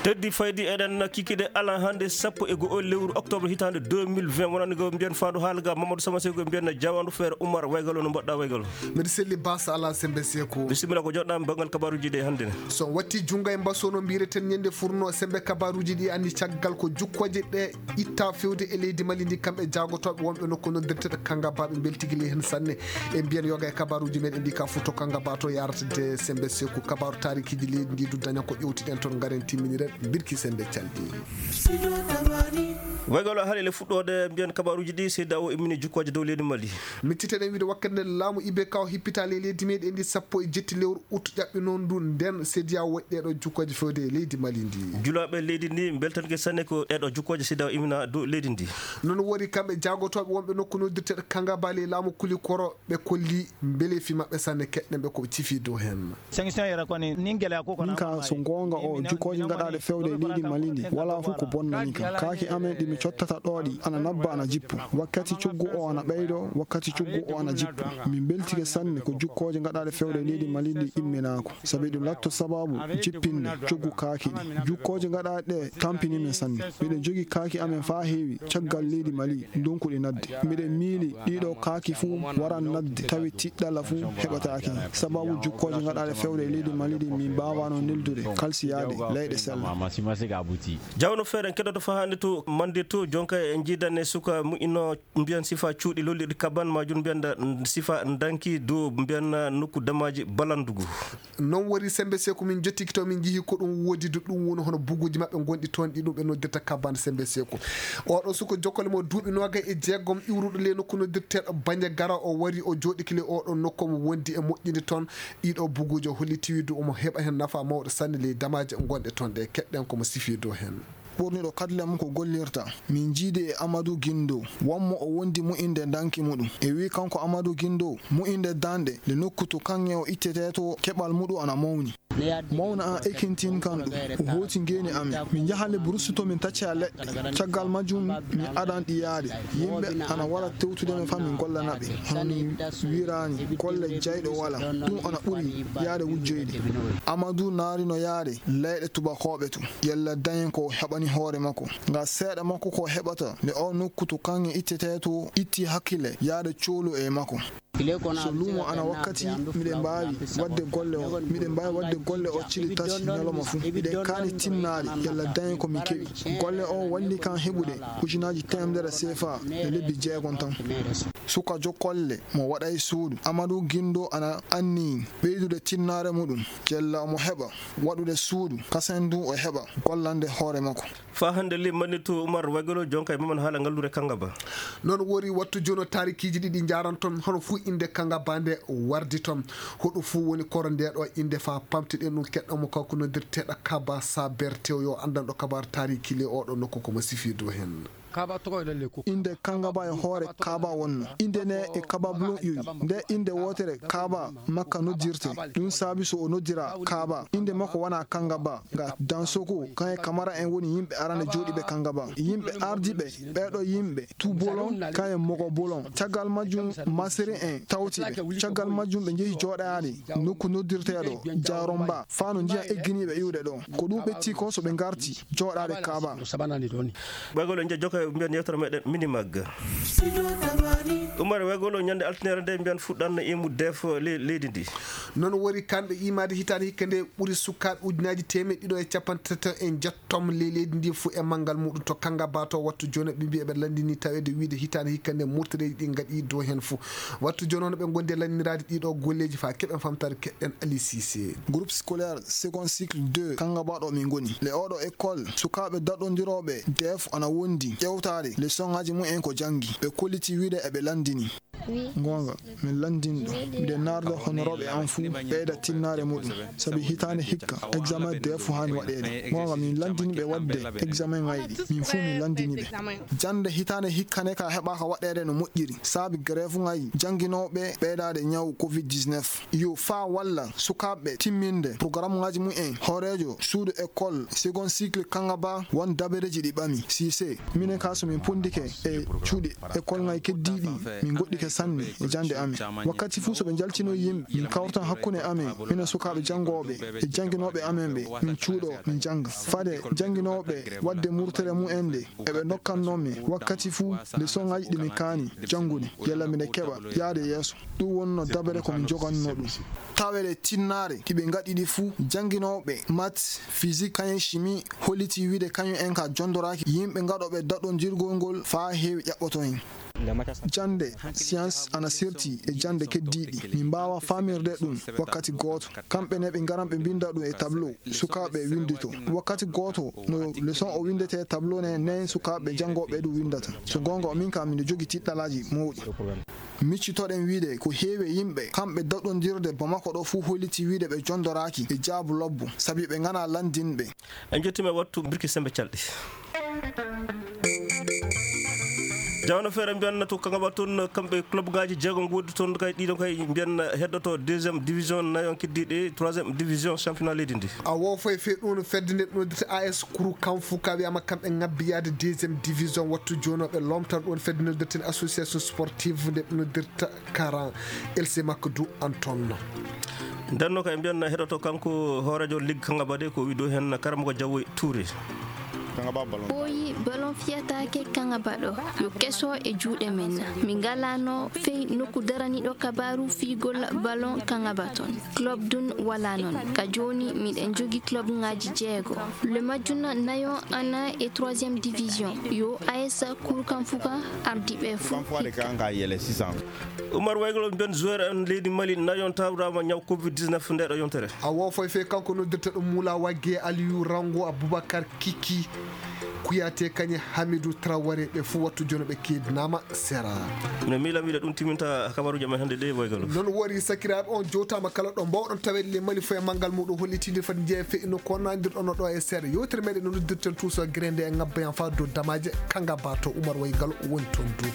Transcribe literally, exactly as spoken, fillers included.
Heddi faydi eɗen kikiɗe ala hannde sappo e go'o lewru octobre hitaande deux mille vingt. Wonani ko mbiyen faandu haala ga Mamadou Sama Seko, mbiyen jawandu feere Oumar Waygalo, no mbaɗɗa Waygalo? Mbiɗa selli basa ala sembe Seko. Bisimilla ko joɗɗa banngal kabaruji ɗi hannde ne. So watti junngo e mbaso no mbireten ñande furno sembe kabaruji ɗi anni caggal ko jukkooje ɗe itta fewde e leydi Mali ndi kamɓe jaagotooɓe wonɓe nokku noddirteɗo Kangaba ɓe mbeltigi ley heen sanne. E mbiyen yoga e kabaruji meɗen ɗi ka futo Kangaba to yaratde sembe Seko kabaru taarikiiji leydi ndi du daña ko ƴewtiɗen toon ngaren timminiren birki sembe calɗi. Waygalo haalele fuɗɗoode mbiyen kabaruji ɗi seyda o immini jukkooje dow leydi Mali. Micciteɗen wiide wakkati nde laamu I B K o hippita ley leydi meɗen ndi sappo e jetti lewru ut ƴaɓɓi noon ndu nden sediya woɗɗeɗo jukkooje fewde e leydi Mali ndi. Julaaɓe leydi ndi mbeltanke sanne ko ɗeɗo jukkooje sediya o immina dow leydi ndi. Noon wori kamɓe jaagotooɓe wonɓe nokku noddirteɗo Kangaba ley laamu Kulikoro ɓe kolli mbelefi maɓɓe sanne keɗɗen ɓe ko cifi dow heen. Sanction yɛrɛ kɔni, nin gɛlɛya ko kɔnɔ, min ka so goonga o jukkooje ngaɗaaɗe fewde e leydi Mali ndi wala fof ko bonnani kam. Kaaki amen ɗi mi cottata ɗo ɗi ana nabba ana jippo. Wakkati coggu o ana ɓeydo, wakkati coggu o ana jippo. Min mbeltike sanne ko jukkooje ngaɗaaɗe fewde e leydi Mali ndi imminaako. Sabi ɗum latto sababu jippinde coggu kaaki ɗi. Jukkooje ngaɗaaɗe ɗe tampini min sanne. Miɗen jogi kaaki amen faa heewi caggal leydi Mali ndonkuɗi nadde. Miɗen miili ɗiɗo kaaki fuu waran nadde tawi tiɗɗala fuu heɓataake. Sababu jukkooje ngaɗaaɗe fewde e leydi Mali ɗi min mbaawano neldude kalsiyaade leyɗe sella. Jawno feere en keɗoto faa hannde to Mande to jonka e jiidane suka mu'ino mbiyan sifa cuuɗi lollirɗi kaban majum mbiyan sifa danki dow mbiyan nokku damaji balandugu. Noon wori sembe Seko min jottiki to min njihi ko ɗum woodi du ɗum woni hono buguuji maɓɓe ngonɗi toon ɗi ɗum ɓe noddirta kabane sembe Seko. Oɗo suko jokkole mo duuɓi noogay e jeegom iwruɗo ley nokku noddirteeɗo Bañagara o wari o jooɗiki ley oɗo nokku mo wondi e moƴƴinde toon. Ɗiɗo buguuji o holliti wiide omo heɓa heen nafa mawɗo sanne ley damaaji ngonɗe toon ɗe keɗɗen komo sifi dow heen. Ɓurniɗo kadle mum ko gollirta. Min njiidi e Amadou Guindo, wonmo o wondi mu'inde danki muɗum. E wii kanko Amadou Guindo, mu'inde danɗe le nokku to kaŋŋe o ittetee to keɓal muɗum ana mawni. Mawna an ekintin kan ɗum, o hooti ngeeni amin. Min njahan le bursu to min tacca leɗɗe. Caggal majjum mi adan ɗi yaade. Yimɓe ana wara tewtude men fa min gollana ɓe. Hono ni wiiraani, golle jayɗo wala. Ɗum ana ɓuri yaade wujjoyde. Amadou naarino yaade leyɗe tubakooɓe to. Yalla dañen ko o heɓani hoore makko. Nga seeɗa makko ko o heɓata nde o nokku to kaŋŋe ittetee to itti hakkille yaade coolu e makko. So luumo ana wakkati miɗen mbaawi waɗde golle o, miɗen mbaawi waɗde golle o cili tati ñalawma fuu. Miɗen kaani tinnaade yalla dañen ko min keɓi. Golle o walli kan heɓude ujunaaji teemedere seefa e lebbi jeegom tan. Suka jokkolle mo waɗay suudu. Amadou Guindo ana anniyi ɓeydude tinnaare muɗum. Yalla omo heɓa waɗude suudu kasen du o heɓa gollande hoore makko. Faa hannde le manni to Oumar Waygolo jonka e maman haala ngallure Kangaba. Noon wori wattu jooni o taarikiiji ɗiɗi njaaran toon hono fuu innde Kangaba nde wardi toon. Hoɗo fuu woni koro nde ɗo innde faa pamtiɗen ɗum keɗɗo mo kanko noddirteeɗo Kaba Saber tew yo anndanɗo kabaar taariiki le oɗo nokku komo sifi dow heen. Innde Kangaba e hoore Kaaba wonno. Innde ne e Kaaba Bulon iwi. Nde innde wootere Kaaba Makka noddirte. Ɗum saabi so o noddira Kaaba. Innde makko wona Kangaba. Nga Dansoko, kan e Kamara en woni yimɓe arande jooɗiiɓe Kangaba. Yimɓe ardiiɓe, ɓeeɗo yimɓe, Tubolon, kan e Mogobolon. Caggal majjum, Masiri en tawti ɓe. Caggal majjum, ɓe njehi jooɗaade nokku noddirteeɗo Jaromba. Faa no njiyan egginiiɓe iwde ɗo. Ko ɗum ɓetti ko so ɓe ngarti jooɗaade Kaaba. Ɓoygol en jokka mbiyen yewtere meɗen Minimag. Umar Wegol o ñande altinere nde mbiyen fuɗɗan no imu def le-, leydi ndi. Noon wori kanɓe imaade hitaande hikka nde ɓuri sukaaɓe ujunaaji teemeɗɗe ɗiɗo e capanɗe tati e njettom le-, leydi ndi fuu e manngal muɗum to Kangaba to wattu jooni ɓe mbiya ɓe lanndini taweede wiide hitaande hikka nde murtareeji ɗi ngaɗi dow heen fuu. Wattu jooni hono ɓe ngondi e lanndiniraade ɗiɗo golleeji faa keɓen famtaade keɗɗen Ali Cissé. Groupe scolaire second cycle deux Kangaba ɗo min ngoni. Le oɗo école, sukaaɓe daɗondirooɓe def ana wondi ƴewtaade leçon ŋaaji mumen ko janngi. Ɓe kolliti wiide eɓe lanndini. Goonga, min lanndini ɗum. Miɗen naarda honorooɓe am fuu ɓeyda tinnaare muɗum. Sabi hitaande hikka, examen def haani waɗeede. Goonga, min lanndini ɓe waɗde examen ŋayɗi. Min fuu min lanndini ɓe. Jannde hitaande hikka ne ka heɓaaka waɗeede no moƴƴiri. Sabi grève ŋayi jannginooɓe ɓeydaade ñaw covid dix-neuf. Yo faa walla sukaaɓe timminde programme ŋaaji mumen. Hooreejo suudu école second cycle Kangaba won dabareeji ɗi ɓami. Cissé. Minen ka so min ponndike e cuuɗi école ŋayi keddiiɗi, min ngoɗɗike sanne e jaŋde amen. Wakkati fuu so ɓe njaltinoyi yimɓe, min kawrtan hakkunde amen, minen sukaaɓe janngooɓe e jannginooɓe amen ɓe, min cuuɗoo, min njannga. Fade jannginooɓe waɗde murtere mumen nde, eɓe ndokkannoo min wakkati fuu lesoŋaaji ɗi min kaani janngude, yalla miɗen keɓa yahde yeeso. Ɗum wonnoo dabere ko min njogannoo ɗum. Tawee ɗe tinnaare ɗi ɓe ngaɗi ɗi fuu, jannginooɓe maths, physique, kañum chimie, hollitii wiyde kañum en kaa jonndoraaki yimɓe gaɗooɓe daɗondirgol ngol faa heewi ƴaɓɓotoo heen. Jaŋde science ana serti e jaŋde keddiiɗi. Min mbaawaa faamirde ɗum wakkati gooto. Kamɓe ne ɓe ngaran ɓe mbinnda ɗum e tableau, sukaaɓe winnditoo. Wakkati gooto no leçon o winndetee e tableau ne, nen sukaaɓe janngooɓe ɗum winndata. So goonga, min kam miɗo jogii tiiɗalaaji mawɗi. Miccitoɗen wiyde ko heewi e yimɓe kamɓe daɗondirde Bamako ɗo fuu hollitii wiyde ɓe jonndoraaki e jaabu lobbo, sabi ɓe nganaa lanndinɓe. En njettiima e wattu birki semmbe calɗi. Jawno feere mbiyan to Kangaba toon, kamɓe club ngaaji jeego ngoodi toon, kay ɗiɗo kay mbiyan heddoto deuxième division, nayon keddiiɗe troisième division championnat leydi ndi. A woofay fee ɗum no fedde nde ɗum noddirta A S Kuru Kamfu ka wiyama kamɓe ngabbi yaade deuxième division, wattu jooni o ɓe lomtan ɗum fedde noddirten association sportive nde ɗum noddirta Karan L C Makdu Anton. Nden no kay mbiyan heɗoto kanko hooreejo ligue Kangaba de ko wiɗo heen Karamoko Diawoy Touré. Ɓooyi ballon fiyataake Kangaba ɗo, yo keso e juuɗe men. Min ngalano fey nokku daraniɗo kabaru fiyugol ballon Kangaba toon. Club dun wala noon. Ka jooni miɗen jogi club ngaji jeego. Le majjuna nayo ana e troisième division. Yo A S Kuru Kamfu ka ardi ɓe fuu hikka. Umar Waygol, mbiyan joueur en leydi Mali nayon tawrama ñaw covid dix-neuf nde ɗo yontere. A woofay fee kanko noddirta ɗum Mula Wagge, Aliou Rango, Aboubacar Kiki, Kouyaté, kañe Hamidou Traoré, ɓe fuu wattu jooni ɓe keedinaama sera. Mino miila wiide ɗum timinta kabaruuji amen hannde ɗe, Waygol. Noon wori sakiraaɓe, on jowtaama kala ɗo mbawɗon taweede le Mali fof e manngal muɗum, hollitiinde fati jeeya feƴƴino ko nandirɗon ɗo e seeɗa. Yewtere meɗen no noddirten tuuso grende e ngabba yan faa dow damaaje Kangaba to Umar Waygol woni toon du.